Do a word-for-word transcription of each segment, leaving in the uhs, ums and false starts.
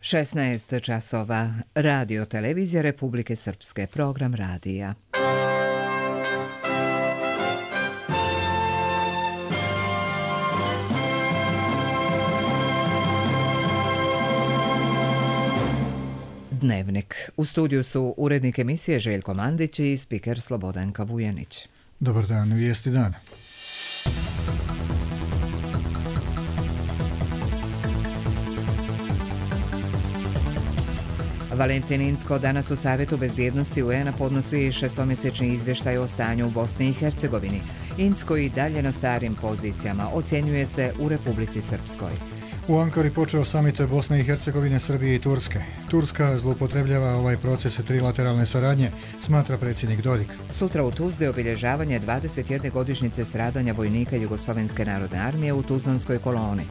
šesnaest časova. Radio televizija Republike Srpske. Program radija. Dnevnik. U studiju su urednik emisije Željko Mandić i spiker Slobodanka Vujanić. Dobar dan, vijesti dana. Valentin Incko danas u Savjetu bezbjednosti U N-a podnosi šestomjesečni izvještaj o stanju u Bosni i Hercegovini. Incko i dalje na starim pozicijama, ocjenjuje se u Republici Srpskoj. U Ankari počeo samit Bosne i Hercegovine, Srbije i Turske. Turska zloupotrebljava ovaj proces trilateralne saradnje, smatra predsjednik Dodik. Sutra u Tuzli obilježavanje dvadeset jedne godišnjice stradanja vojnika Jugoslovenske narodne armije u Tuzlanskoj koloni.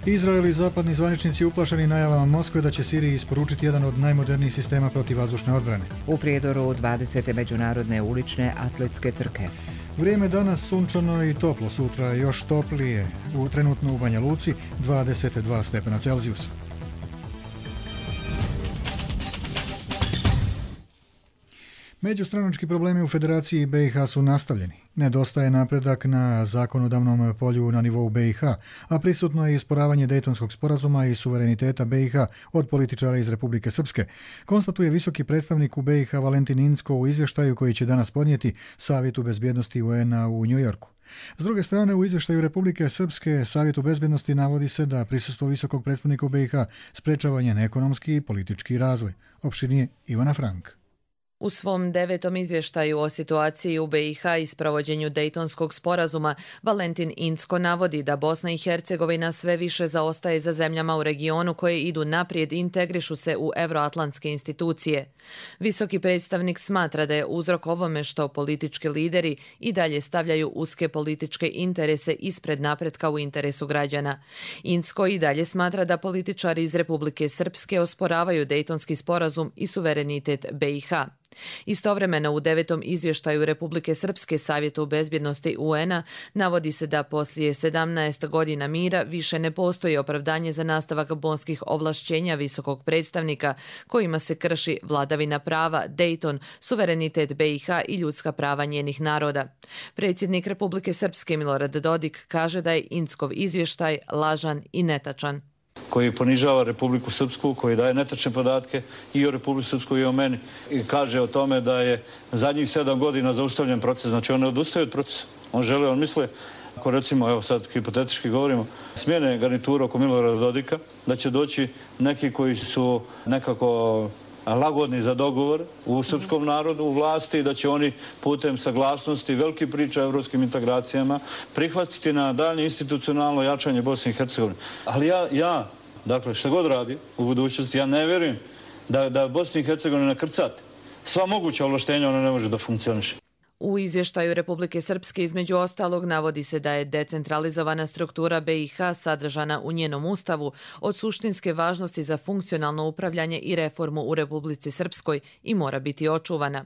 Izrael i zapadni zvaničnici uplašeni najavama Moskve da će Siriji isporučiti jedan od najmodernijih sistema protivvazdušne odbrane. U Prijedoru dvadesete međunarodne ulične atletske trke. Vrijeme danas sunčano i toplo, sutra još toplije, u trenutno u Banja Luci dvadeset dva stepena Celzijusa. Međustranački problemi u Federaciji B i H su nastavljeni. Nedostaje napredak na zakonodavnom polju na nivou B i H, a prisutno je isporavanje Dejtonskog sporazuma i suvereniteta B i H od političara iz Republike Srpske, konstatuje visoki predstavnik u B i H Valentin Incko u izvještaju koji će danas podnijeti Savjetu bezbjednosti U N-a u Njujorku. S druge strane, u izvještaju Republike Srpske Savjetu bezbjednosti navodi se da prisustvo visokog predstavnika u B i H sprečava njen ekonomski i politički razvoj. Opširnije Ivana Frank. U svom devetom izvještaju o situaciji u B i H i sprovođenju Dejtonskog sporazuma, Valentin Incko navodi da Bosna i Hercegovina sve više zaostaje za zemljama u regionu koje idu naprijed i integrišu se u evroatlantske institucije. Visoki predstavnik smatra da je uzrok ovome što politički lideri i dalje stavljaju uske političke interese ispred napretka u interesu građana. Incko i dalje smatra da političari iz Republike Srpske osporavaju Dejtonski sporazum i suverenitet B i H. Istovremeno u devetom izvještaju Republike Srpske Savjetu bezbjednosti U N-a navodi se da poslije sedamnaest godina mira više ne postoji opravdanje za nastavak bonskih ovlašćenja visokog predstavnika kojima se krši vladavina prava, Dejton, suverenitet B i H i ljudska prava njenih naroda. Predsjednik Republike Srpske Milorad Dodik kaže da je Inckov izvještaj lažan i netačan. Koji ponižava Republiku Srpsku, koji daje netačne podatke i o Republiku Srpsku i o meni. I kaže o tome da je zadnjih sedam godina zaustavljen proces. Znači on ne odustaje od procesa. On žele, on misle, ako recimo, evo sad hipotetički govorimo, smjene garnitura oko Milorada Dodika, da će doći neki koji su nekako lagodni za dogovor u srpskom narodu, u vlasti, da će oni putem saglasnosti, veliki priča o evropskim integracijama, prihvatiti na daljnje institucionalno jačanje Bosne i Hercegovine. Ali ja, ja, dakle, šta god radi u budućnosti, ja ne vjerujem da, da Bosna i Hercegovina krcati. Sva moguća ovlaštenja ona ne može da funkcioniše. U izvještaju Republike Srpske između ostalog navodi se da je decentralizovana struktura B i H sadržana u njenom ustavu od suštinske važnosti za funkcionalno upravljanje i reformu u Republici Srpskoj i mora biti očuvana.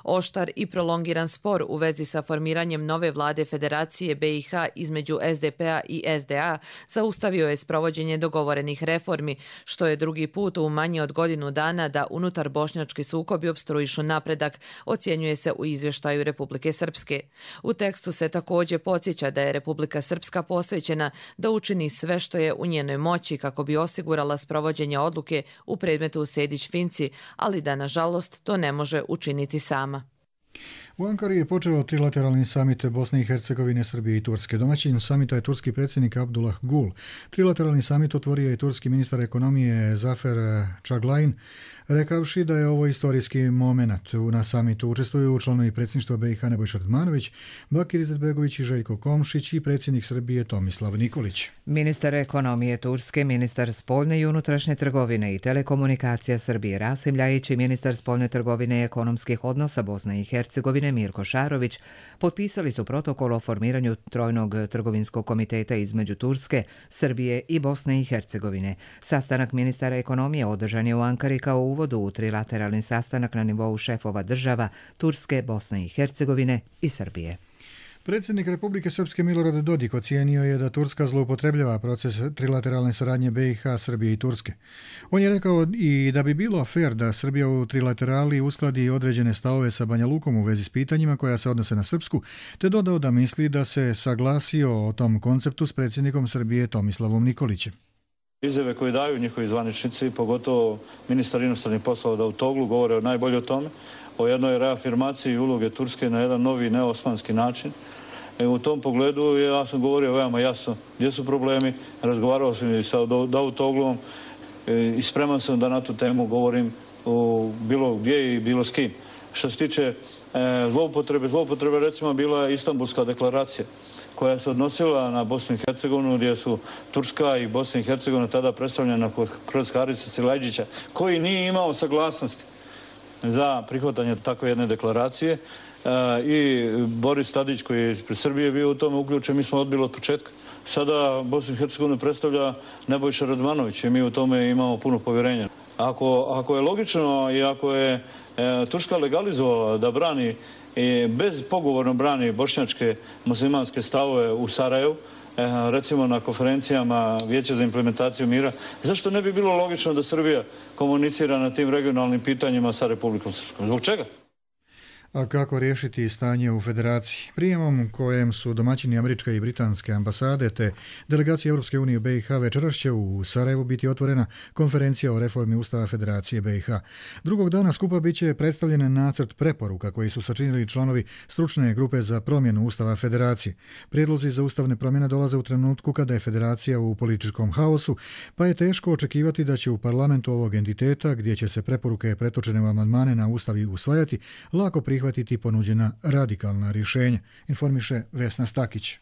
Oštar i prolongiran spor u vezi sa formiranjem nove vlade Federacije B i H između S D P-a i S D A zaustavio je sprovođenje dogovorenih reformi, što je drugi put u manje od godinu dana da unutar bošnjački sukobi opstruišu napredak, ocjenjuje se u izvještaju Republike Srpske. U tekstu se također podsjeća da je Republika Srpska posvećena da učini sve što je u njenoj moći kako bi osigurala sprovođenje odluke u predmetu Sejdić-Finci, ali da nažalost to ne može učiniti sama. U Ankari je počeo trilateralni samit Bosne i Hercegovine, Srbije i Turske. Domaćin samita je turski predsjednik Abdullah Gul. Trilateralni samit otvorio je turski ministar ekonomije Zafer Čaglain, rekavši da je ovo istorijski moment. Na samitu učestvuju članovi predsjedništva B i H Nebojša Radmanović, Bakir Izetbegović i Željko Komšić i predsjednik Srbije Tomislav Nikolić. Ministar ekonomije Turske, ministar spoljne i unutrašnje trgovine i telekomunikacija Srbije Rasim Ljajić i ministar spoljne trgovine i ekonomskih odnosa Bosne i Hercegovine Mirko Šarović potpisali su protokol o formiranju trojnog trgovinskog komiteta između Turske, Srbije i Bosne i Hercegovine. Sastanak ministara ekonomije održan je u Ankari kao uvodu u trilateralni sastanak na nivou šefova država Turske, Bosne i Hercegovine i Srbije. Predsjednik Republike Srpske Milorad Dodik ocijenio je da Turska zloupotrebljava proces trilateralne saradnje B i H, Srbije i Turske. On je rekao i da bi bilo fair da Srbija u trilaterali uskladi određene stavove sa Banja Lukom u vezi s pitanjima koja se odnose na Srpsku, te dodao da misli da se saglasio o tom konceptu s predsjednikom Srbije Tomislavom Nikolićem. Izjave koje daju njihovi zvaničnici, pogotovo ministar inostranih poslova Davutoglu, govore najbolje o tome, o jednoj reafirmaciji uloge Turske na jedan novi neosmanski način. E, u tom pogledu ja sam govorio veoma jasno gdje su problemi, razgovarao sam i sa Davutoglom e, i spreman sam da na tu temu govorim o bilo gdje i bilo s kim. Što se tiče e, zloupotrebe, zloupotrebe recimo bila je Istanbulska deklaracija koja se odnosila na Bosnu i Hercegovinu, gdje su Turska i Bosna i Hercegovina tada predstavljena kroz Harisa Silajdžića, koji nije imao saglasnosti za prihvatanje takve jedne deklaracije. E, I Boris Tadić, koji je ispred Srbije bio u tome uključen, mi smo odbili od početka. Sada Bosnu i Hercegovinu predstavlja Nebojša Radmanović i mi u tome imamo puno povjerenja. Ako, ako je logično i ako je e, Turska legalizovala da brani i bezpogovorno brani bošnjačke muslimanske stavove u Sarajevu, e, recimo na konferencijama Vijeća za implementaciju mira, zašto ne bi bilo logično da Srbija komunicira na tim regionalnim pitanjima sa Republikom Srpskom? Zbog čega? A kako riješiti stanje u federaciji? Prijemom kojem su domaćini američke i britanske ambasade te delegacije Europske unije u B i H večeras će u Sarajevu biti otvorena konferencija o reformi Ustava Federacije B i H. Drugog dana skupa bit će predstavljen nacrt preporuka koji su sačinili članovi stručne grupe za promjenu Ustava Federacije. Prijedlozi za ustavne promjene dolaze u trenutku kada je federacija u političkom haosu, pa je teško očekivati da će u parlamentu ovog entiteta, gdje će se preporuke pretočene u amandmane na Ustav i usvajati, lako prihvatiti ponuđena radikalna rješenja, informiše Vesna Stakić.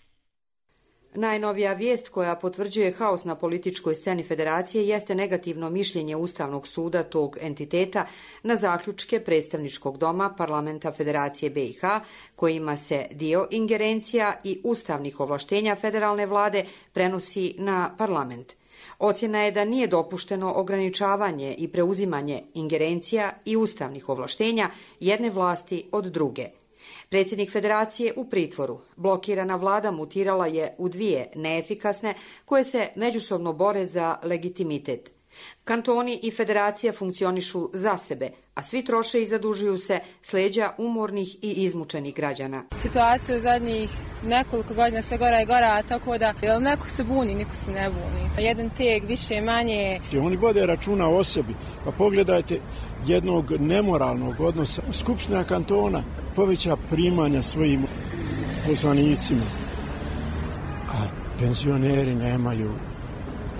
Najnovija vijest koja potvrđuje haos na političkoj sceni federacije jeste negativno mišljenje Ustavnog suda tog entiteta na zaključke predstavničkog doma Parlamenta Federacije B i H, kojima se dio ingerencija i ustavnih ovlaštenja federalne vlade prenosi na parlament. Ocjena je da nije dopušteno ograničavanje i preuzimanje ingerencija i ustavnih ovlaštenja jedne vlasti od druge. Predsjednik federacije u pritvoru. Blokirana vlada mutirala je u dvije neefikasne koje se međusobno bore za legitimitet. Kantoni i federacija funkcionišu za sebe, a svi troše i zadužuju se s leđa umornih i izmučenih građana. Situacija u zadnjih nekoliko godina se gora i gora, tako da jel neko se buni, niko se ne buni. Jedan teg, više manje. Oni vode računa o sebi, pa pogledajte jednog nemoralnog odnosa. Skupština kantona poveća primanja svojim poslanicima, a penzioneri nemaju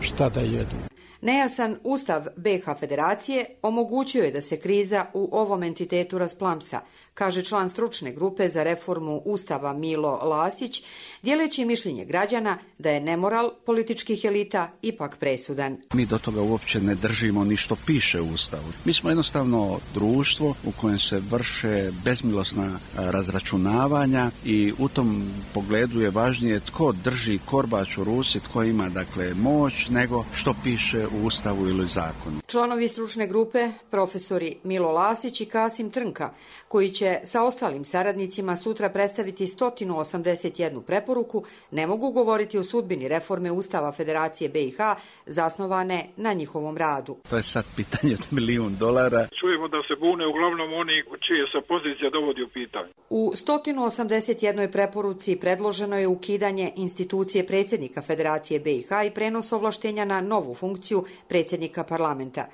šta da jedu. Nejasan ustav B i H federacije omogućio je da se kriza u ovom entitetu rasplamsa, kaže član stručne grupe za reformu Ustava Milo Lasić, dijeleći mišljenje građana da je nemoral političkih elita ipak presudan. Mi do toga uopće ne držimo ni što piše u Ustavu. Mi smo jednostavno društvo u kojem se vrše bezmilosna razračunavanja i u tom pogledu je važnije tko drži korbač u ruci, tko ima dakle moć, nego što piše u Ustavu ili zakonu. Članovi stručne grupe, profesori Milo Lasić i Kasim Trnka, koji će sa ostalim saradnicima sutra predstaviti sto osamdeset jednu preporuku, ne mogu govoriti o sudbini reforme Ustava Federacije B i H zasnovane na njihovom radu. To je sad pitanje od milijun dolara. Čujemo da se bune uglavnom oni čije se pozicija dovodi u pitanje. U sto osamdeset jednoj preporuci predloženo je ukidanje institucije predsjednika Federacije B i H i prenos ovlaštenja na novu funkciju predsjednika parlamenta.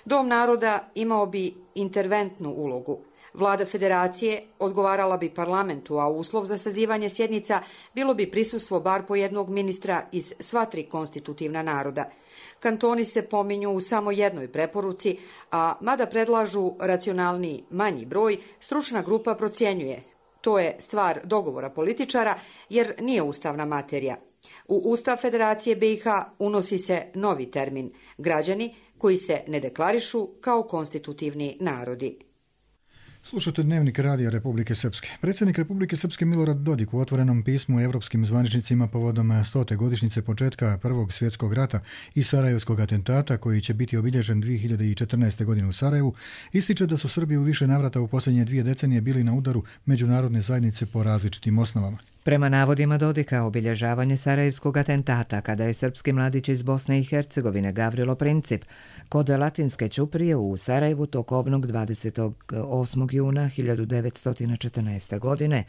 Dom naroda imao bi interventnu ulogu. Vlada federacije odgovarala bi parlamentu, a uslov za sazivanje sjednica bilo bi prisustvo bar po jednog ministra iz sva tri konstitutivna naroda. Kantoni se pominju u samo jednoj preporuci, a mada predlažu racionalniji manji broj, stručna grupa procjenjuje. To je stvar dogovora političara jer nije ustavna materija. U Ustav Federacije B i H unosi se novi termin – građani koji se ne deklarišu kao konstitutivni narodi. Slušate Dnevnik radija Republike Srpske. Predsjednik Republike Srpske Milorad Dodik u otvorenom pismu evropskim zvaničnicima povodom stote godišnjice početka Prvog svjetskog rata i Sarajevskog atentata, koji će biti obilježen dvije hiljade četrnaeste. godine u Sarajevu, ističe da su Srbi u više navrata u posljednje dvije decenije bili na udaru međunarodne zajednice po različitim osnovama. Prema navodima Dodika, obilježavanje sarajevskog atentata kada je srpski mladić iz Bosne i Hercegovine Gavrilo Princip kod Latinske ćuprije u Sarajevu tokobnog dvadesetog osmog juna hiljadu devetsto četrnaeste. godine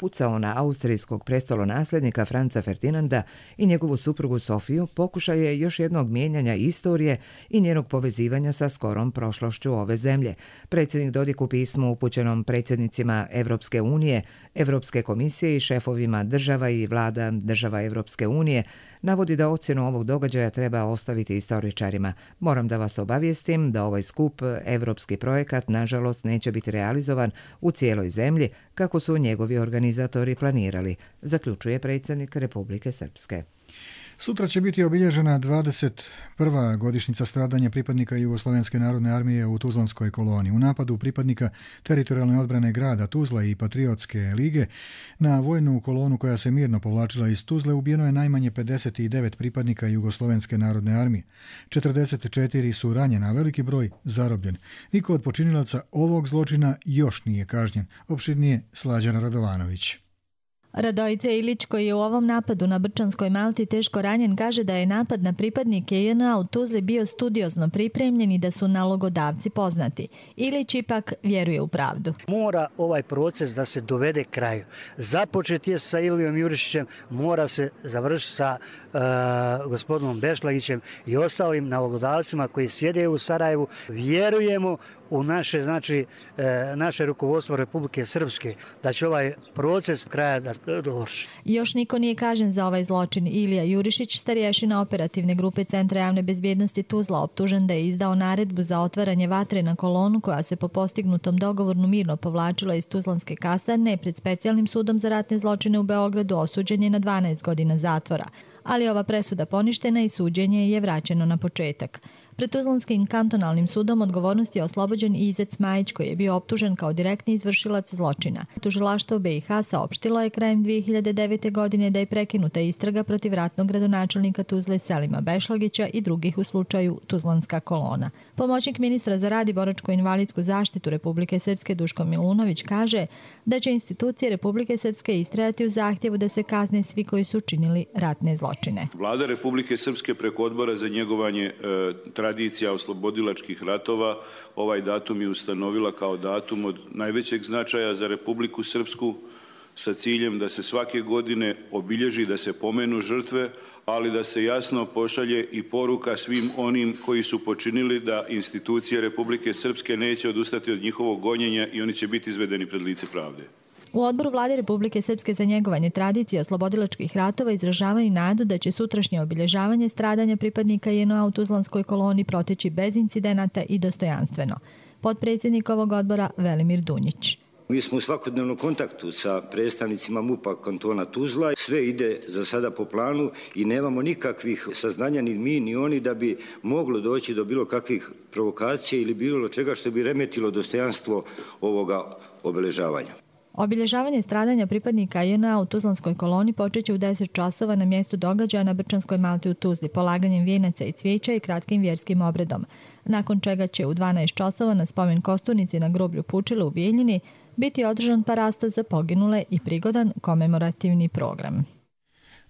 pucao na austrijskog prestolonasljednika Franca Ferdinanda i njegovu suprugu Sofiju, pokušaj je još jednog mijenjanja istorije i njenog povezivanja sa skorom prošlošću ove zemlje. Predsjednik Dodik u pismu upućenom predsjednicima Evropske unije, Evropske komisije i šefovima država i vlada država Evropske unije navodi da ocjenu ovog događaja treba ostaviti istoričarima. Moram da vas obavijestim da ovaj skup evropski projekat nažalost neće biti realizovan u cijeloj zemlji kako su njegovi organizatori planirali, zaključuje predsjednik Republike Srpske. Sutra će biti obilježena dvadeset prva godišnjica stradanja pripadnika Jugoslovenske narodne armije u Tuzlanskoj koloni. U napadu pripadnika teritorijalne odbrane grada Tuzla i Patriotske lige na vojnu kolonu koja se mirno povlačila iz Tuzle ubijeno je najmanje pedeset devet pripadnika Jugoslovenske narodne armije. četrdeset četiri su ranjena, a veliki broj zarobljen. Niko od počinilaca ovog zločina još nije kažnjen. Opširnije Slađana Radovanović. Radojica Ilić, koji je u ovom napadu na Brčanskoj Malti teško ranjen, kaže da je napad na pripadnike J N A u Tuzli bio studiozno pripremljen i da su nalogodavci poznati. Ilić ipak vjeruje u pravdu. Mora ovaj proces da se dovede kraju. Započet je sa Ilijom Jurišićem, mora se završiti sa uh, gospodinom Bešlagićem i ostalim nalogodavcima koji sjede u Sarajevu. Vjerujemo u naše, znači, uh, naše rukovodstvo Republike Srpske da će ovaj proces kraja da Još niko nije kažen za ovaj zločin. Ilija Jurišić, starješina operativne grupe Centra javne bezbjednosti Tuzla, optužen da je izdao naredbu za otvaranje vatre na kolonu koja se po postignutom dogovoru mirno povlačila iz Tuzlanske kasarne pred specijalnim sudom za ratne zločine u Beogradu osuđen je na dvanaest godina zatvora. Ali ova presuda poništena i suđenje je vraćeno na početak. Pred Tuzlanskim kantonalnim sudom odgovornost je oslobođen i Izet Majić, koji je bio optužen kao direktni izvršilac zločina. Tužilaštvo B i H saopštilo je krajem dvije hiljade devete. godine da je prekinuta istraga protiv ratnog gradonačelnika Tuzle Selima Bešlagića i drugih u slučaju Tuzlanska kolona. Pomoćnik ministra za rad i boračko-invalidsku zaštitu Republike Srpske Duško Milunović kaže da će institucije Republike Srpske istrajati u zahtjevu da se kazne svi koji su činili ratne zločine. Vlada Republike Srpske preko odbora za njegovanje e, tradicija oslobodilačkih ratova ovaj datum je ustanovila kao datum od najvećeg značaja za Republiku Srpsku sa ciljem da se svake godine obilježi, da se pomenu žrtve, ali da se jasno pošalje i poruka svim onim koji su počinili da institucije Republike Srpske neće odustati od njihovog gonjenja i oni će biti izvedeni pred lice pravde. U odboru Vlade Republike Srpske za njegovanje tradicije oslobodilačkih ratova izražavaju nadu da će sutrašnje obilježavanje stradanja pripadnika J N A u Tuzlanskoj koloni proteći bez incidenata i dostojanstveno. Potpredsjednik ovog odbora Velimir Dunjić. Mi smo u svakodnevnom kontaktu sa predstavnicima M U P-a kantona Tuzla. Sve ide za sada po planu i nemamo nikakvih saznanja ni mi ni oni da bi moglo doći do bilo kakvih provokacija ili bilo čega što bi remetilo dostojanstvo ovoga obeležavanja. Obilježavanje stradanja pripadnika J N A u Tuzlanskoj koloni počeće u deset časova na mjestu događaja na Brčanskoj Malti u Tuzli, polaganjem vijenaca i cvijeća i kratkim vjerskim obredom, nakon čega će u dvanaest časova na spomen kosturnici na groblju Pučile u Bijeljini biti održan parasta za poginule i prigodan komemorativni program.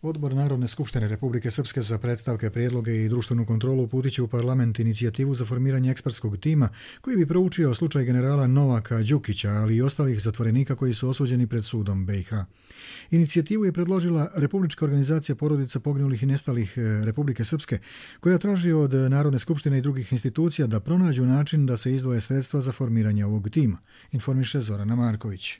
Odbor Narodne skupštine Republike Srpske za predstavke, prijedloge i društvenu kontrolu uputit će u parlament inicijativu za formiranje ekspertskog tima koji bi proučio slučaj generala Novaka Đukića, ali i ostalih zatvorenika koji su osuđeni pred sudom B i H. Inicijativu je predložila Republička organizacija porodica poginulih i nestalih Republike Srpske, koja traži od Narodne skupštine i drugih institucija da pronađu način da se izdvoje sredstva za formiranje ovog tima, informiše Zorana Marković.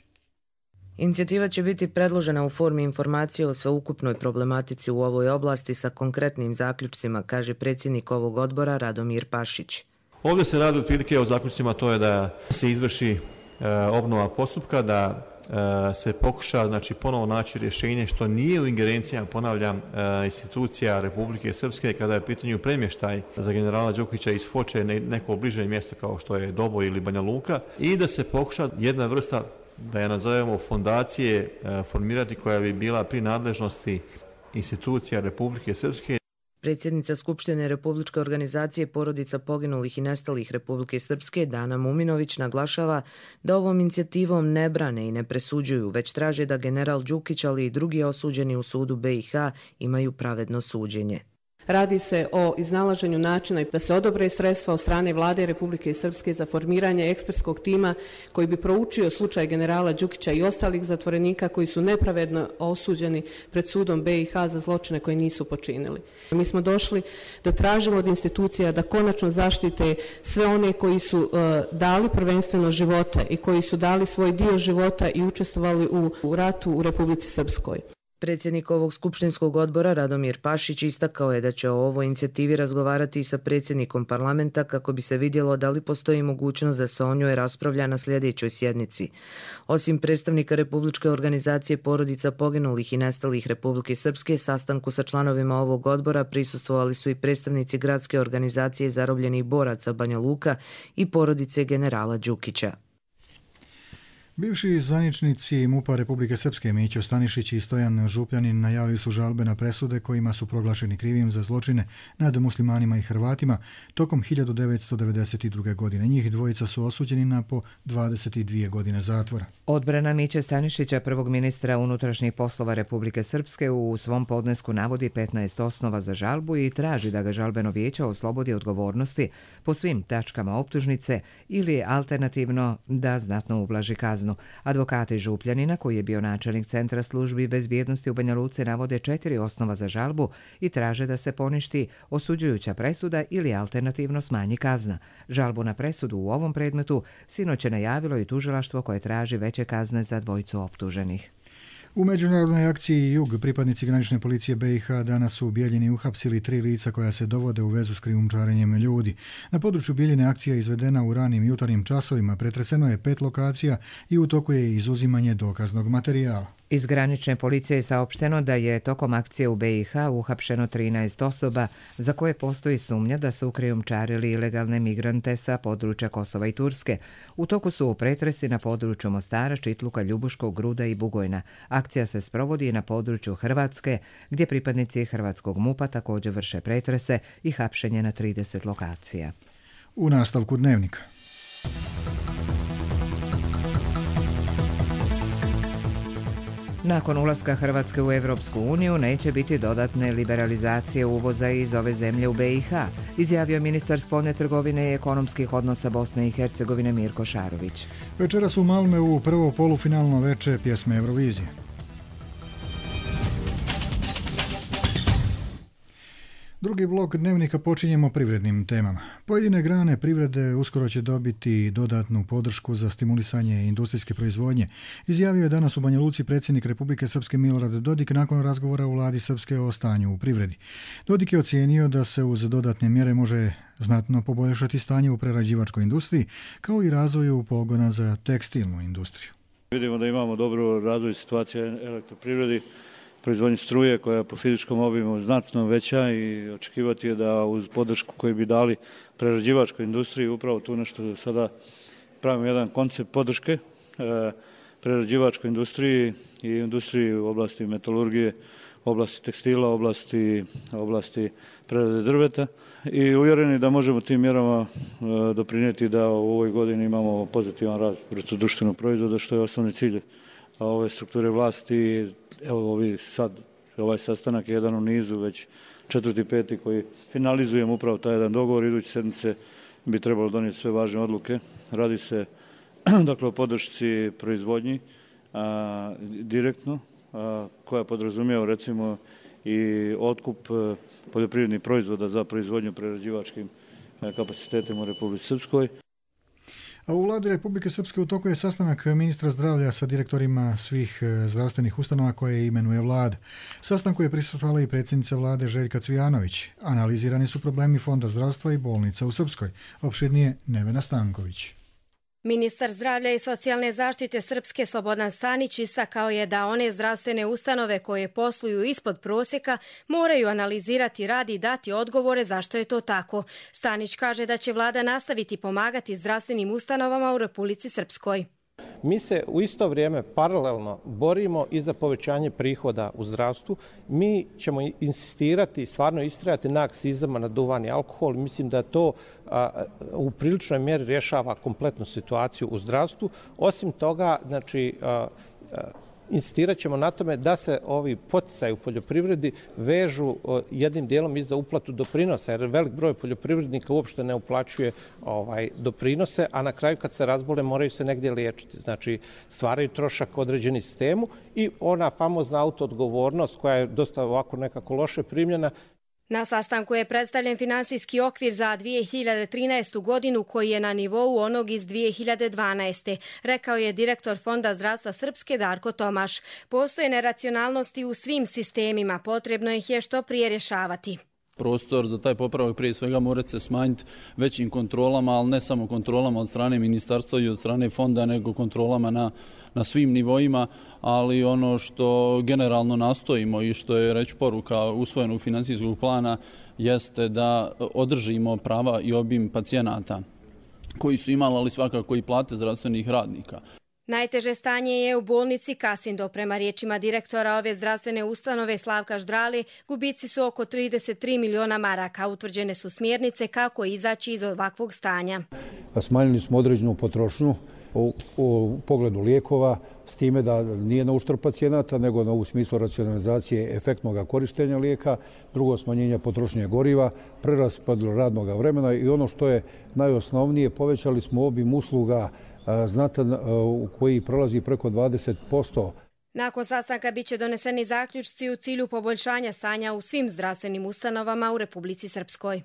Inicijativa će biti predložena u formi informacije o sveukupnoj problematici u ovoj oblasti sa konkretnim zaključcima, kaže predsjednik ovog odbora Radomir Pašić. Ovdje se radi otprilike o zaključcima, to je da se izvrši e, obnova postupka, da e, se pokuša znači, ponovo naći rješenje što nije u ingerencijama, ponavljam, e, institucija Republike Srpske kada je pitanju premještaj za generala Đukića iz Foče neko bliže mjesto kao što je Doboj ili Banja Luka i da se pokuša jedna vrsta, da je nazovemo fondacije, formirati koja bi bila pri nadležnosti institucija Republike Srpske. Predsjednica Skupštine Republičke organizacije porodica poginulih i nestalih Republike Srpske Dana Muminović naglašava da ovom inicijativom ne brane i ne presuđuju, već traže da general Đukić, ali i drugi osuđeni u sudu B i H imaju pravedno suđenje. Radi se o iznalaženju načina da se odobre sredstva od strane Vlade Republike Srpske za formiranje ekspertskog tima koji bi proučio slučaj generala Đukića i ostalih zatvorenika koji su nepravedno osuđeni pred sudom B i H za zločine koje nisu počinili. Mi smo došli da tražimo od institucija da konačno zaštite sve one koji su uh, dali prvenstveno živote i koji su dali svoj dio života i učestvovali u, u ratu u Republici Srpskoj. Predsjednik ovog skupštinskog odbora Radomir Pašić istakao je da će o ovoj inicijativi razgovarati i sa predsjednikom parlamenta kako bi se vidjelo da li postoji mogućnost da se o njoj raspravlja na sljedećoj sjednici. Osim predstavnika Republičke organizacije porodica poginulih i nestalih Republike Srpske, sastanku sa članovima ovog odbora prisustvovali su i predstavnici Gradske organizacije zarobljenih boraca Banja Luka i porodice generala Đukića. Bivši zvaničnici MUP-a Republike Srpske Mićo Stanišić i Stojan Župljanin najavili su žalbe na presude kojima su proglašeni krivim za zločine nad muslimanima i Hrvatima tokom hiljadu devetsto devedeset druge. godine. Njih dvojica su osuđeni na po dvadeset dvije godine zatvora. Odbrana Miće Stanišića, prvog ministra unutrašnjih poslova Republike Srpske, u svom podnesku navodi petnaest osnova za žalbu i traži da ga žalbeno vijeće oslobodi odgovornosti po svim tačkama optužnice ili alternativno da znatno ublaži kaznu. Advokati Župljanina, koji je bio načelnik Centra službi bezbjednosti u Banja Luci, navode četiri osnova za žalbu i traže da se poništi osuđujuća presuda ili alternativno smanji kazna. Žalbu na presudu u ovom predmetu sinoć je najavilo i tužilaštvo koje traži veće kazne za dvojicu optuženih. U međunarodnoj akciji Jug pripadnici granične policije B i H danas su u Bijeljini uhapsili tri lica koja se dovode u vezu s krijumčarenjem ljudi. Na području Bijeljine akcija je izvedena u ranim jutarnjim časovima, pretreseno je pet lokacija i u toku je izuzimanje dokaznog materijala. Iz granične policije je saopšteno da je tokom akcije u B i H uhapšeno trinaest osoba za koje postoji sumnja da su krijumčarili ilegalne migrante sa područja Kosova i Turske. U toku su pretresi na području Mostara, Čitluka, Ljubuškog, Gruda i Bugojna. Akcija se sprovodi i na području Hrvatske, gdje pripadnici hrvatskog MUP-a također vrše pretrese i hapšenje na trideset lokacija. U nastavku dnevnika. Nakon ulaska Hrvatske u Evropsku uniju neće biti dodatne liberalizacije uvoza iz ove zemlje u B i H, izjavio ministar spoljne trgovine i ekonomskih odnosa Bosne i Hercegovine Mirko Šarović. Večeras u Malmeu prvo polufinalno veče pjesme Eurovizije. Drugi blok dnevnika počinjemo privrednim temama. Pojedine grane privrede uskoro će dobiti dodatnu podršku za stimulisanje industrijske proizvodnje, izjavio je danas u Banja Luci predsjednik Republike Srpske Milorad Dodik nakon razgovora u vladi Srpske o stanju u privredi. Dodik je ocijenio da se uz dodatne mjere može znatno poboljšati stanje u prerađivačkoj industriji, kao i razvoju pogona za tekstilnu industriju. Vidimo da imamo dobro razvoj situacije elektroprivredi, proizvodnje struje koja je po fizičkom obimu znatno veća i očekivati je da uz podršku koju bi dali prerađivačkoj industriji, upravo tu nešto sada pravimo jedan koncept podrške e, prerađivačkoj industriji i industriji u oblasti metalurgije, oblasti tekstila, oblasti, oblasti prerade drveta i uvjereni da možemo tim mjerama e, doprinijeti da u ovoj godini imamo pozitivan rast bruto društvenog proizvoda, što je osnovni cilj ove strukture vlasti. Evo ovi sad, ovaj sastanak je jedan u nizu, već četvrti, peti koji finalizujemo upravo taj jedan dogovor. Iduće sedmice bi trebalo donijeti sve važne odluke. Radi se dakle o podršci proizvodnji a, direktno, a, koja podrazumijeva recimo i otkup poljoprivrednih proizvoda za proizvodnju prerađivačkim kapacitetima u Republici Srpskoj. A u vladi Republike Srpske u toku je sastanak ministra zdravlja sa direktorima svih zdravstvenih ustanova koje imenuje vlada. Sastanku je prisustvovala i predsjednica vlade Željka Cvijanović. Analizirani su problemi Fonda zdravstva i bolnica u Srpskoj. Opširnije Nevena Stanković. Ministar zdravlja i socijalne zaštite Srpske Slobodan Stanić istakao je da one zdravstvene ustanove koje posluju ispod prosjeka moraju analizirati rad i dati odgovore zašto je to tako. Stanić kaže da će vlada nastaviti pomagati zdravstvenim ustanovama u Republici Srpskoj. Mi se u isto vrijeme paralelno borimo i za povećanje prihoda u zdravstvu. Mi ćemo insistirati, stvarno istrajati na akcizama na duvan i alkohol. Mislim da to a, u priličnoj mjeri rješava kompletnu situaciju u zdravstvu. Osim toga, znači, a, a, insistirat ćemo na tome da se ovi poticaji u poljoprivredi vežu jednim dijelom i za uplatu doprinosa, jer velik broj poljoprivrednika uopšte ne uplaćuje ovaj, doprinose, a na kraju kad se razbole moraju se negdje liječiti. Znači stvaraju trošak određeni sistemu i ona famozna autoodgovornost koja je dosta ovako nekako loše primljena. Na sastanku je predstavljen finansijski okvir za dvije hiljade trinaestu godinu koji je na nivou onog iz dvije hiljade dvanaeste. Rekao je direktor Fonda zdravstva Srpske Darko Tomaš. Postoje neracionalnosti u svim sistemima, potrebno ih je što prije rješavati. Prostor za taj popravak prije svega mora se smanjiti većim kontrolama, ali ne samo kontrolama od strane ministarstva i od strane fonda, nego kontrolama na, na svim nivoima, ali ono što generalno nastojimo i što je reći poruka usvojenog financijskog plana jeste da održimo prava i obim pacijenata koji su imali, ali svakako i plate zdravstvenih radnika. Najteže stanje je u bolnici Kasindo. Prema riječima direktora ove zdravstvene ustanove Slavka Ždrali, gubici su oko trideset tri miliona maraka. Utvrđene su smjernice kako izaći iz ovakvog stanja. Smanjili smo određenu potrošnju u, u pogledu lijekova, s time da nije na uštrb pacijenata, nego na u smislu racionalizacije efektnog korištenja lijeka, drugo smanjenje potrošnje goriva, preraspodjelu radnog vremena i ono što je najosnovnije, povećali smo obim usluga znatan u koji prolazi preko dvadeset posto. Nakon sastanka biće doneseni zaključci u cilju poboljšanja stanja u svim zdravstvenim ustanovama u Republici Srpskoj.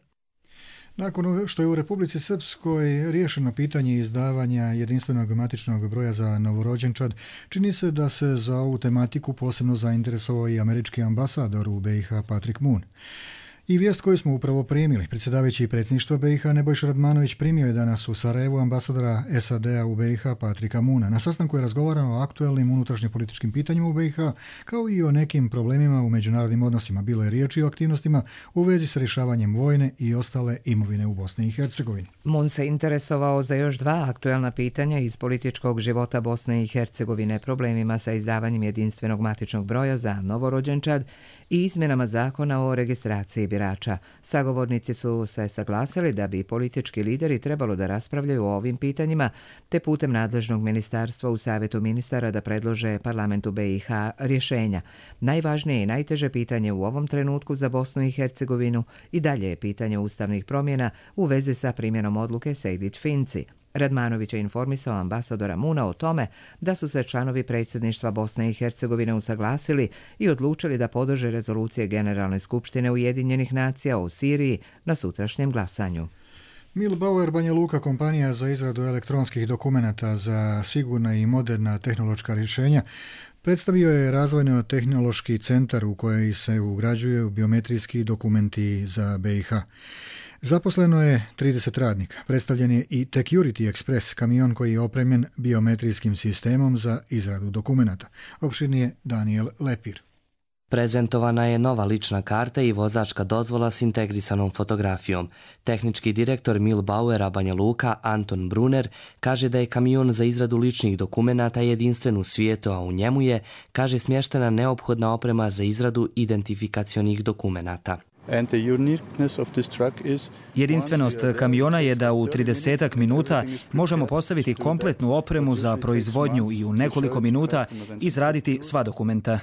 Nakon što je u Republici Srpskoj riješeno pitanje izdavanja jedinstvenog matičnog broja za novorođenčad, čini se da se za ovu tematiku posebno zainteresovao i američki ambasador u B i H Patrick Moon. I vijest koju smo upravo primili. Predsjedavajući predsjedništva B i H Nebojša Radmanović primio je danas u Sarajevu ambasadora S A D-a u B i H Patricka Moona. Na sastanku je razgovarano o aktuelnim unutrašnjopolitičkim pitanjima u B i H, kao i o nekim problemima u međunarodnim odnosima. Bilo je riječi o aktivnostima u vezi s rješavanjem vojne i ostale imovine u Bosni i Hercegovini. Moon se interesovao za još dva aktuelna pitanja iz političkog života Bosne i Hercegovine, problemima sa izdavanjem jedinstvenog matičnog broja za novorođenčad i izmjenama zakona o registraciji birača. Sagovornici su se saglasili da bi politički lideri trebalo da raspravljaju o ovim pitanjima, te putem nadležnog ministarstva u Savjetu ministara da predlože parlamentu B i H rješenja. Najvažnije i najteže pitanje u ovom trenutku za Bosnu i Hercegovinu i dalje je pitanje ustavnih promjena u vezi sa primjenom odluke Sejdić-Finci. Radmanović je informisao ambasadora Moona o tome da su se članovi predsjedništva Bosne i Hercegovine usaglasili i odlučili da podrže rezolucije Generalne skupštine Ujedinjenih nacija o Siriji na sutrašnjem glasanju. Milbauer Banja Luka, kompanija za izradu elektronskih dokumenata za sigurna i moderna tehnološka rješenja, predstavio je razvojno-tehnološki centar u koji se ugrađuju biometrijski dokumenti za B i H. Zaposleno je trideset radnika. Predstavljen je i Security Express, kamion koji je opremljen biometrijskim sistemom za izradu dokumenata. Opširnije Daniel Lepir. Prezentovana je nova lična karta i vozačka dozvola s integrisanom fotografijom. Tehnički direktor Milbauera Banja Luka Anton Brunner kaže da je kamion za izradu ličnih dokumenata jedinstven u svijetu, a u njemu je, kaže, smještena neophodna oprema za izradu identifikacionih dokumenata. Jedinstvenost kamiona je da u tridesetak minuta možemo postaviti kompletnu opremu za proizvodnju i u nekoliko minuta izraditi sva dokumenta.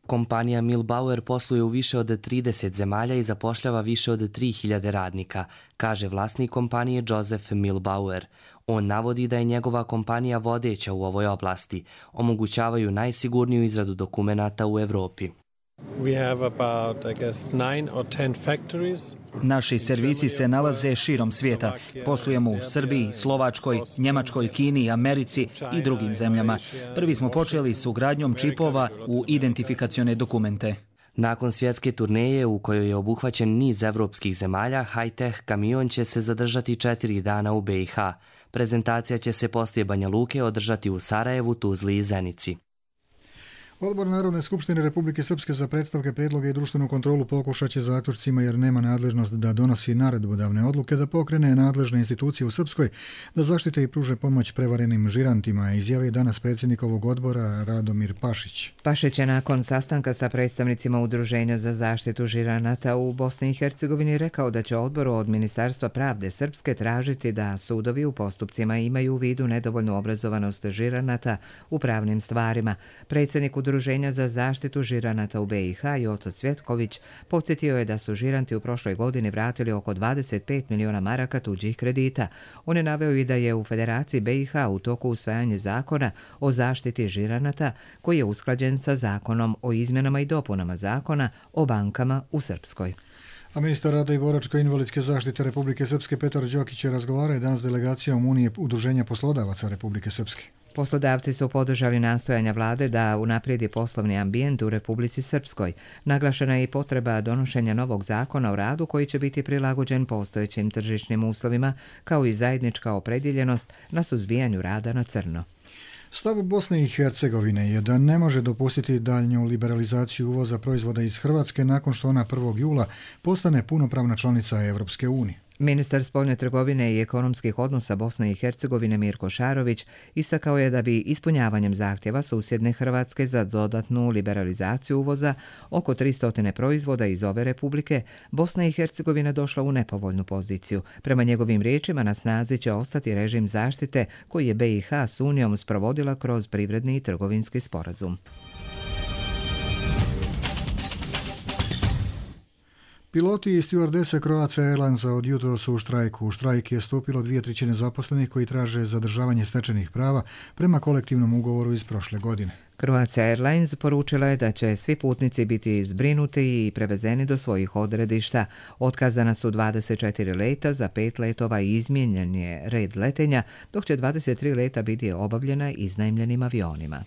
Kompanija Milbauer posluje u više od trideset zemalja i zapošljava više od tri hiljade radnika, kaže vlasnik kompanije Joseph Milbauer. On navodi da je njegova kompanija vodeća u ovoj oblasti. Omogućavaju najsigurniju izradu dokumenata u Evropi. Naši servisi se nalaze širom svijeta. Poslujemo u Srbiji, Slovačkoj, Njemačkoj, Kini, Americi i drugim zemljama. Prvi smo počeli s ugradnjom čipova u identifikacione dokumente. Nakon svjetske turneje u kojoj je obuhvaćen niz evropskih zemalja, high-tech kamion će se zadržati četiri dana u B i H. Prezentacija će se poslije Banja Luke održati u Sarajevu, Tuzli i Zenici. Odbor Narodne skupštine Republike Srpske za predstavke, prijedloge i društvenu kontrolu pokušat će zaključcima, jer nema nadležnost da donosi naredbodavne odluke, da pokrene nadležne institucije u Srpskoj da zaštite i pruže pomoć prevarenim žirantima, izjavi danas predsjednik ovog odbora Radomir Pašić. Pašić je nakon sastanka sa predstavnicima Udruženja za zaštitu žiranata u Bosni i Hercegovini rekao da će odboru od Ministarstva pravde Srpske tražiti da sudovi u postupcima imaju u vidu nedovoljnu obrazovanost žiranata u pravnim stvarima. Predsjednik Udruženja za zaštitu žiranata u be i ha Joco Cvjetković podsjetio je da su žiranti u prošloj godini vratili oko dvadeset pet miliona maraka tuđih kredita. On je naveo i da je u Federaciji be i ha u toku usvajanje zakona o zaštiti žiranata koji je usklađen sa zakonom o izmjenama i dopunama zakona o bankama u Srpskoj. A ministar rada i boračko-invalidske zaštite Republike Srpske Petar Đokić je razgovarao danas s delegacijom Unije udruženja poslodavaca Republike Srpske. Poslodavci su podržali nastojanja vlade da unaprijedi poslovni ambijent u Republici Srpskoj. Naglašena je i potreba donošenja novog zakona o radu koji će biti prilagođen postojećim tržišnim uslovima, kao i zajednička opredjeljenost na suzbijanju rada na crno. Stav Bosne i Hercegovine je da ne može dopustiti daljnju liberalizaciju uvoza proizvoda iz Hrvatske nakon što ona prvog jula postane punopravna članica Evropske unije. Ministar spoljne trgovine i ekonomskih odnosa Bosne i Hercegovine Mirko Šarović istakao je da bi ispunjavanjem zahtjeva susjedne Hrvatske za dodatnu liberalizaciju uvoza oko tristo proizvoda iz ove republike, Bosna i Hercegovina došla u nepovoljnu poziciju. Prema njegovim riječima na snazi će ostati režim zaštite koji je be i ha s Unijom sprovodila kroz privredni i trgovinski sporazum. Piloti i stewardese Croatia Airlinesa od jutro su u štrajku. U štrajk je stupilo dvije trećine zaposlenih koji traže zadržavanje stečenih prava prema kolektivnom ugovoru iz prošle godine. Croatia Airlines poručila je da će svi putnici biti zbrinuti i prevezeni do svojih odredišta. Otkazana su dvadeset četiri leta, za pet letova i izmijenjen je red letenja, dok će dvadeset tri leta biti obavljena iznajmljenim avionima.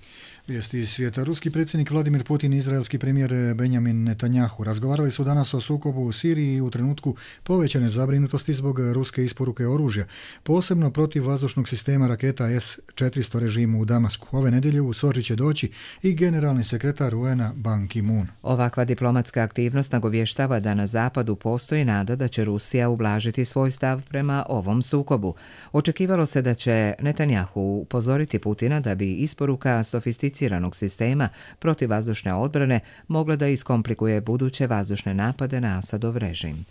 Vijesti iz svijeta. Ruski predsjednik Vladimir Putin i izraelski premijer Benjamin Netanjahu razgovarali su danas o sukobu u Siriji u trenutku povećane zabrinutosti zbog ruske isporuke oružja, posebno protiv vazdušnog sistema raketa es četiristo režimu u Damasku. Ove nedjelje u Soči će doći i generalni sekretar u en a Ban Ki-moon. Ovakva diplomatska aktivnost nagovještava da na zapadu postoji nada da će Rusija ublažiti svoj stav prema ovom sukobu. Očekivalo se da će Netanjahu upozoriti Putina da bi isporuka sofisticiranog sistema protivvazdušne odbrane mogla da iskomplikuje buduće vazdušne napade na Asadov režim.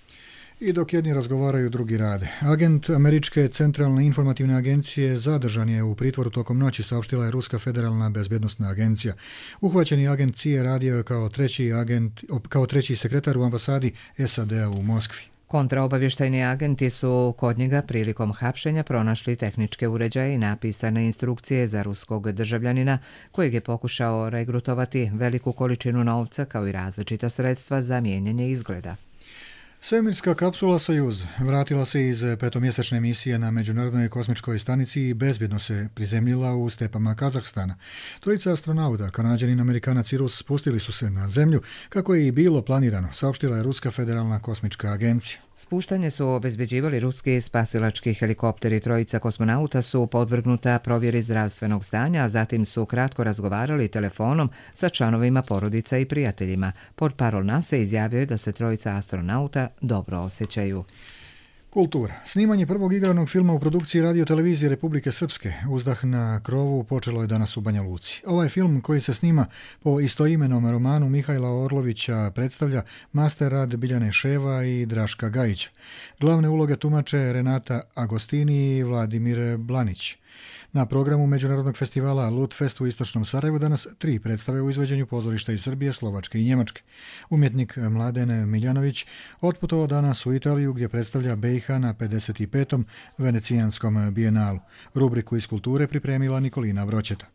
I dok jedni razgovaraju, drugi rade. Agent Američke centralne informativne agencije zadržan je u pritvoru tokom noći, saopštila je Ruska federalna bezbjednostna agencija. Uhvaćeni agent C I A radio je kao treći, agent, kao treći sekretar u ambasadi es a de a u Moskvi. Kontraobavještajni agenti su kod njega prilikom hapšenja pronašli tehničke uređaje i napisane instrukcije za ruskog državljanina kojeg je pokušao regrutovati veliku količinu novca kao i različita sredstva za mijenjanje izgleda. Svemirska kapsula Sojuz vratila se iz petomjesečne misije na Međunarodnoj kosmičkoj stanici i bezbjedno se prizemljila u stepama Kazahstana. Trojica astronauta, Kanađanin, Amerikanac i Rus, spustili su se na zemlju kako je i bilo planirano, saopštila je Ruska federalna kosmička agencija. Spuštanje su obezbeđivali ruski spasilački helikopteri. Trojica kosmonauta su podvrgnuta provjeri zdravstvenog stanja, a zatim su kratko razgovarali telefonom sa članovima porodica i prijateljima. Portparol nase izjavio je da se trojica astronauta dobro osjećaju. Kultura. Snimanje prvog igranog filma u produkciji radio-televizije Republike Srpske Uzdah na krovu počelo je danas u Banja Luci. Ovaj film, koji se snima po istoimenom romanu Mihajla Orlovića, predstavlja master rad Biljane Ševa i Draška Gajića. Glavne uloge tumače Renata Agostini i Vladimir Blanić. Na programu Međunarodnog festivala Lutfest u istočnom Sarajevu danas tri predstave u izvođenju pozorišta iz Srbije, Slovačke i Njemačke. Umjetnik Mladen Miljanović otputovao danas u Italiju gdje predstavlja be i ha na pedeset petom Venecijanskom bijenalu. Rubriku iz kulture pripremila Nikolina Vroćeta.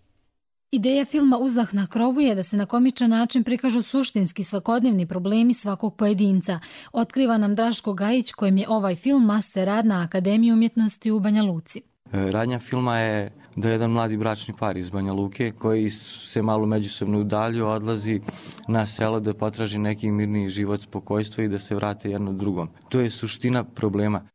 Ideja filma Uzdah na krovu je da se na komičan način prikažu suštinski svakodnevni problemi svakog pojedinca. Otkriva nam Draško Gajić, kojem je ovaj film master rad na Akademiji umjetnosti u Banja Luci. Radnja filma je da jedan mladi bračni par iz Banja Luke koji se malo međusobno udalju, odlazi na selo da potraži neki mirniji život, spokojstvo i da se vrate jedno drugom. To je suština problema.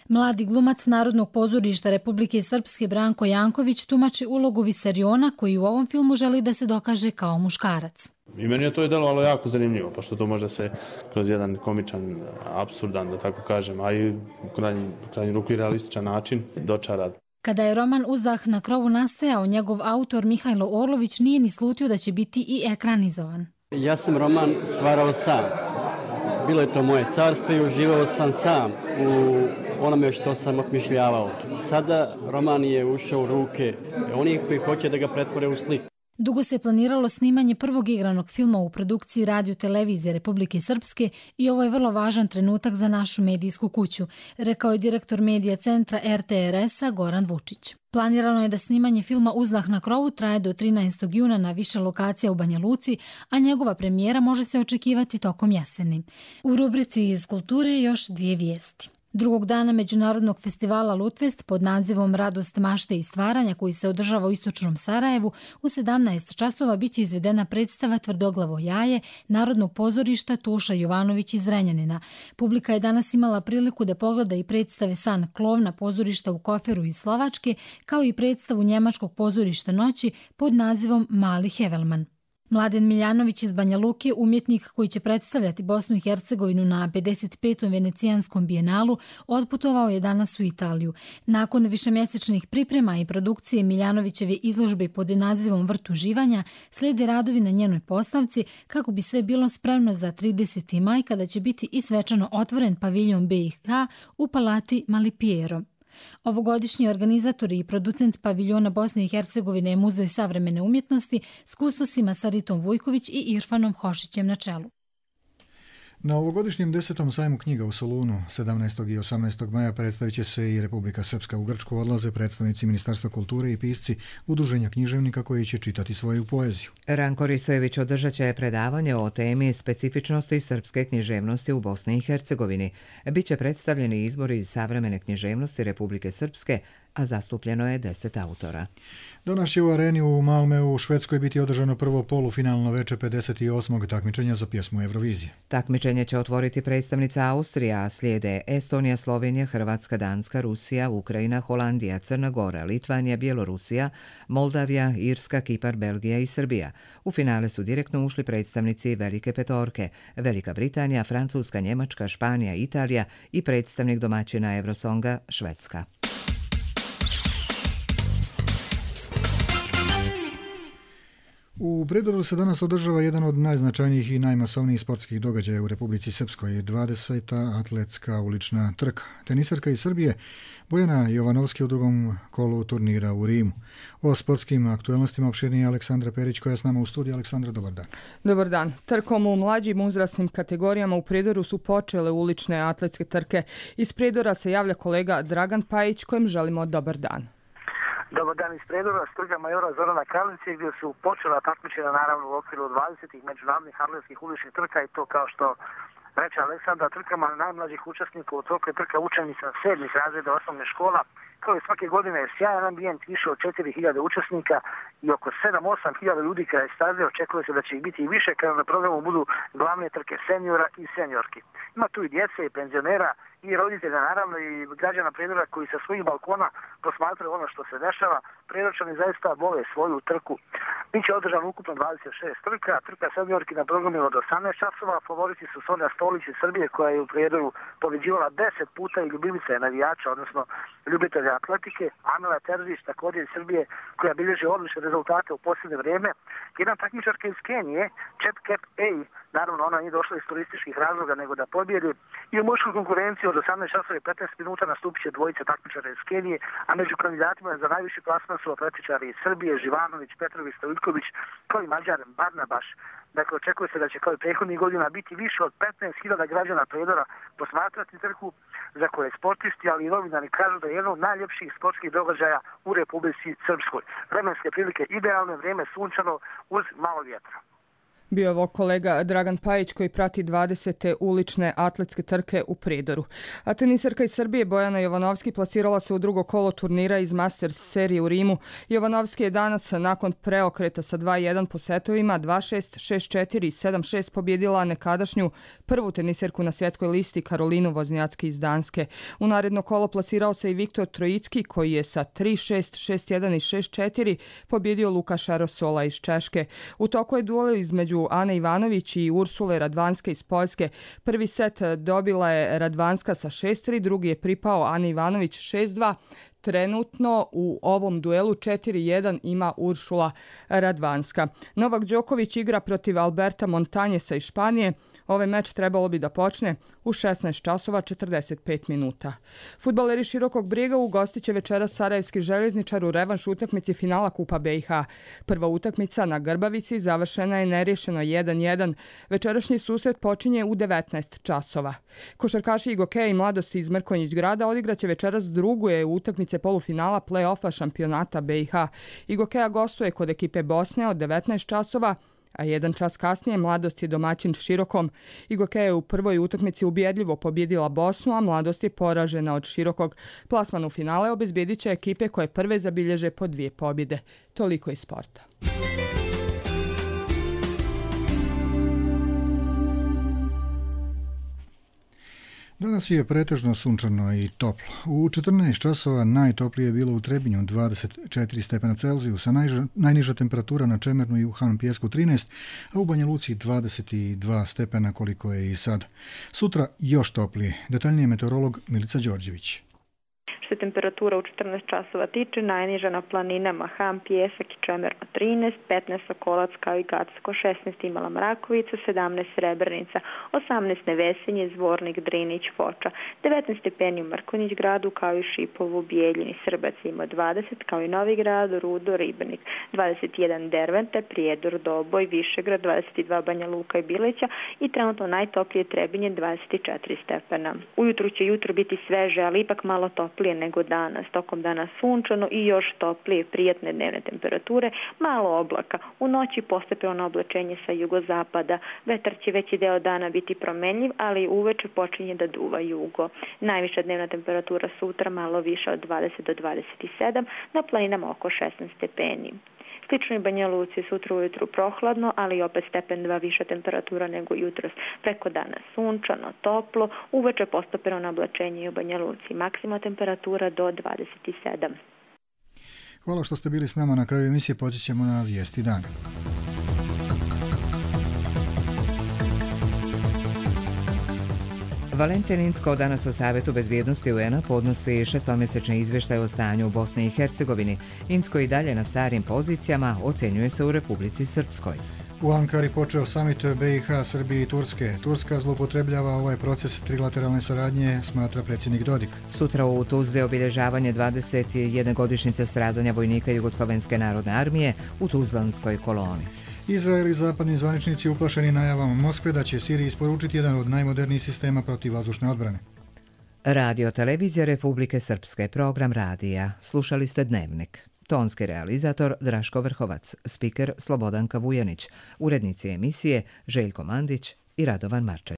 Mladi glumac Narodnog pozorišta Republike Srpske Branko Janković tumači ulogu Visariona koji u ovom filmu želi da se dokaže kao muškarac. I meni je to je delovalo jako zanimljivo, pošto to može se kroz jedan komičan, apsurdan, da tako kažem, a i u krajnju ruku i realističan način dočara. Kada je roman Uzdah na krovu nastajao, njegov autor Mihajlo Orlović nije ni slutio da će biti i ekranizovan. Ja sam roman stvarao sam. Bilo je to moje carstvo i uživao sam sam u onome što sam osmišljavao. Sada roman je ušao u ruke onih koji hoće da ga pretvore u sliku. Dugo se planiralo snimanje prvog igranog filma u produkciji Radio Televizije Republike Srpske i ovo je vrlo važan trenutak za našu medijsku kuću, rekao je direktor medija centra er te er es-a Goran Vučić. Planirano je da snimanje filma Uzdah na krovu traje do trinaestog juna na više lokacija u Banja Luci, a njegova premijera može se očekivati tokom jeseni. U rubrici iz kulture još dvije vijesti. Drugog dana Međunarodnog festivala Lutvest pod nazivom Radost mašte i stvaranja koji se održava u istočnom Sarajevu u sedamnaest časova biće izvedena predstava Tvrdoglavo jaje Narodnog pozorišta Tuša Jovanović iz Zrenjanina. Publika je danas imala priliku da pogleda i predstave San Klovna pozorišta u Koferu iz Slovačke, kao i predstavu Njemačkog pozorišta Noći pod nazivom Mali Hevelman. Mladen Miljanović iz Banja Luke, umjetnik koji će predstavljati Bosnu i Hercegovinu na pedeset petom Venecijanskom bijenalu, otputovao je danas u Italiju. Nakon višemjesečnih priprema i produkcije Miljanovićeve izložbe pod nazivom Vrt uživanja, slijede radovi na njenoj postavci kako bi sve bilo spremno za trideseti maj kada će biti i svečano otvoren paviljon be i ha u Palati Malipiero. Ovogodišnji organizator i producent paviljona Bosne i Hercegovine je Muzej savremene umjetnosti s kustosima Saritom Vujković i Irfanom Hošićem na čelu. Na ovogodišnjem desetom sajmu knjiga u Solunu sedamnaestog i osamnaestog maja predstavit će se i Republika Srpska. U Grčku odlaze predstavnici Ministarstva kulture i pisci Udruženja književnika koji će čitati svoju poeziju. Ranko Risojević održat će predavanje o temi specifičnosti srpske književnosti u Bosni i Hercegovini. Biće predstavljeni izbori iz savremene književnosti Republike Srpske, a zastupljeno je deset autora. Danas će u areni u Malmeu u Švedskoj biti održano prvo polufinalno veče pedeset osmog takmičenja za pjesmu Eurovizije. Takmičenje će otvoriti predstavnica Austrija, a slijede Estonija, Slovenija, Hrvatska, Danska, Rusija, Ukrajina, Holandija, Crna Gora, Litvanija, Bjelorusija, Moldavija, Irska, Kipar, Belgija i Srbija. U finale su direktno ušli predstavnici Velike petorke, Velika Britanija, Francuska, Njemačka, Španija, Italija i predstavnik domaćina Eurosonga, Švedska. U Prijedoru se danas održava jedan od najznačajnijih i najmasovnijih sportskih događaja u Republici Srpskoj, dvadeseta atletska ulična trka. Tenisarka iz Srbije Bojana Jovanovski u drugom kolu turnira u Rimu. O sportskim aktualnostima opširnije Aleksandra Perić koja je s nama u studiju. Aleksandra, dobar dan. Dobar dan. Trkom u mlađim uzrasnim kategorijama u Prijedoru su počele ulične atletske trke. Iz Prijedora se javlja kolega Dragan Pajić kojem želimo dobar dan. Dobar dan iz Prijedora, s trga majora Zorana Karlice gdje su počela takmičenja naravno u okviru dvadesetih međunarodnih atletskih uličnih trka i to kao što reče Aleksandra, trkama najmlađih učesnika u toku je trka učenica sedmih razreda osnovne škola. Kao i svake godine je sjajan ambijent, više od četiri hiljade učesnika i oko sedam do osam hiljada ljudi kraj staze. Očekuje se da će ih biti i više kada na programu budu glavne trke seniora i seniorki. Ima tu i djece i penzionera i roditelja, naravno i građana Prijedora koji sa svojih balkona posmatraju ono što se dešava. Prijedočani zaista vole svoju trku. Biće održano ukupno dvadeset šest trka, trka seniorki na programu od osamnaest časova. Favoriti su Sonja Stolić iz Srbije koja je u Prijedoru pobjeđivala deset puta i ljubivica je navijača, odnosno ljubitelja atletike. Amela Terzić također iz Srbije koja bilježi odlične rezultate u posljednje vrijeme. Jedan takmičarka iz Kenije, Chep Kep Ej, naravno ona nije došla iz turističkih razloga nego da pobjedi. I u muškoj konkurenciji od osamnaest časova i petnaest minuta nastupit će dvojica takmičara iz Kenije, a među kandidatima za najviši plasman su atletičari iz Srbije, Živanović, Petrović, Stojković, kao i Mađar Barnabaš. Dakle, očekuje se da će kao i prethodnih godina biti više od petnaest hiljada građana Prijedora posmatrati trku za koje sportisti, ali i novinari kažu da je jedno od najljepših sportskih događaja u Republici Srpskoj. Vremenske prilike idealne, vrijeme sunčano uz malo vjetra. Bio je ovo kolega Dragan Pajić koji prati dvadesete ulične atletske trke u Prijedoru. A teniserka iz Srbije Bojana Jovanovski plasirala se u drugo kolo turnira iz Masters serije u Rimu. Jovanovski je danas nakon preokreta sa dva jedan po setovima dva šest, šest četiri i sedam šest pobjedila nekadašnju prvu teniserku na svjetskoj listi Karolinu Voznjacki iz Danske. U naredno kolo plasirao se i Viktor Trojicki koji je sa tri šest, šest jedan i šest četiri pobjedio Lukaša Rosola iz Češke. U toku je duel između Ane Ivanović i Ursule Radvanske iz Poljske. Prvi set dobila je Radvanska sa šest tri, drugi je pripao Ani Ivanović šest dva. Trenutno u ovom duelu četiri jedan ima Uršula Radvanska. Novak Đoković igra protiv Alberta Montanjesa iz Španije. Ovaj meč trebalo bi da počne u šesnaest časova četrdeset pet minuta. Fudbaleri Širokog Brijega ugostit će večeras Sarajevski željezničar u revanš utakmici finala Kupa B i H. Prva utakmica na Grbavici završena je nerješeno jedan jedan. Večerašnji susret počinje u devetnaest časova. Košarkaši Igokeja i Mladosti iz Mrkonjić grada odigraće večeras drugu je utakmice polufinala play-offa šampionata B i H. Igokeja gostuje kod ekipe Bosne od devetnaest časova, a jedan čas kasnije Mladost je domaćin Širokom. Igokeja je u prvoj utakmici ubjedljivo pobjedila Bosnu, a Mladost je poražena od Širokog. Plasman u finale obezbjedit će ekipe koje prve zabilježe po dvije pobjede. Toliko iz sporta. Danas je pretežno sunčano i toplo. U četrnaest časova najtoplije je bilo u Trebinju dvadeset četiri stepena Celzijusa, najniža, najniža temperatura na Čemernu i u Han Pijesku trinaest, a u Banja Luci dvadeset dva stepena koliko je i sad. Sutra još toplije. Detaljnije meteorolog Milica Đorđević. Što se temperatura u četrnaest časova tiče, najniža na planinama Han, Pijesak i Čemerno trinaest, petnaest Sokolac kao i Gacko, šesnaest Imala Mrakovica, sedamnaest Srebrnica, osamnaest Nevesinje, Zvornik, Drinić, Foča, devetnaest stepeni u Mrkonjić gradu kao i Šipovu, Bijeljini, Srbac ima dvadeset kao i Novi Grad, Rudo, Ribnik, dvadeset jedan Dervente, Prijedor, Doboj, Višegrad, dvadeset dva Banja Luka i Bileća i trenutno najtoplije Trebinje dvadeset četiri stepena. Ujutru će jutro biti sveže, ali ipak malo toplije nego danas. Tokom dana sunčano i još toplije, prijatne dnevne temperature, malo oblaka. U noći postepeno oblačenje sa jugozapada. Vetar će veći deo dana biti promenljiv, ali uveče počinje da duva jugo. Najviša dnevna temperatura sutra malo više od dvadeset do dvadeset sedam, na planinama oko šesnaest stepeni. Slično i Banja Luci, sutra ujutru prohladno, ali opet stepen dva viša temperatura nego jutros. Preko dana sunčano, toplo, uveče postepeno na oblačenje i u Banja Luci. Maksima temperatura do dvadeset sedam. Hvala što ste bili s nama. Na kraju emisije podsjećamo na vijesti dana. Valentin Incko danas u Savjetu bezbjednosti U N-a podnosi šestomjesečni izvještaj o stanju u Bosni i Hercegovini. Incko i dalje na starim pozicijama, ocjenjuje se u Republici Srpskoj. U Ankari počeo samit B i H, Srbije i Turske. Turska zloupotrebljava ovaj proces trilateralne saradnje, smatra predsjednik Dodik. Sutra u Tuzli obilježavanje dvadeset jedne godišnjice stradanja vojnika Jugoslovenske narodne armije u Tuzlanskoj koloni. Izrael i zapadni zvaničnici uplašeni najavama Moskve da će Siriji isporučiti jedan od najmodernijih sistema protivvazdušne odbrane. Radio Televizija Republike Srpske, program radija. Slušali ste Dnevnik. Tonski realizator Draško Vrhovac, spiker Slobodanka Vujanić, urednici emisije Željko Mandić i Radovan Marčević.